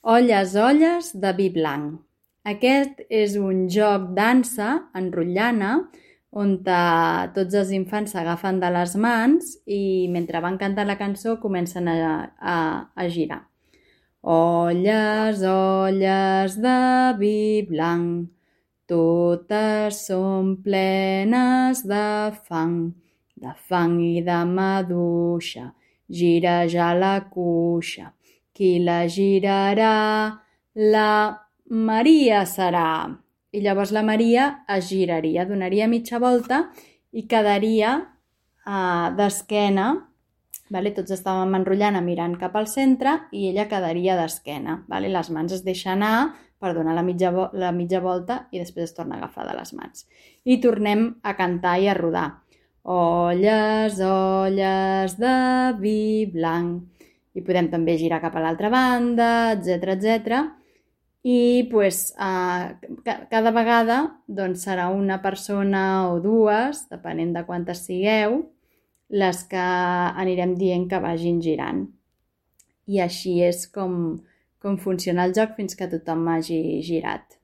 Olles, olles de vi blanc. Aquest és un joc dansa en rotllana on tots els infants s'agafen de les mans i mentre van cantant la cançó comencen a girar. Olles, olles de vi blanc, totes són plenes de fang i de maduixa, gira ja la cuixa. Qui la girarà? La Maria serà. I llavors la Maria es giraria, donaria mitja volta i quedaria d'esquena. Tots estàvem enrotllant mirant cap al centre i ella quedaria d'esquena. Les mans es deixen anar per donar la mitja volta i després es torna a agafar de les mans. I tornem a cantar i a rodar. Olles, olles de vi blanc. I podem també girar cap a l'altra banda, etc. I cada vegada serà una persona o dues, depenent de quantes sigueu, les que anirem dient que vagin girant. I així és com funciona el joc fins que tothom hagi girat.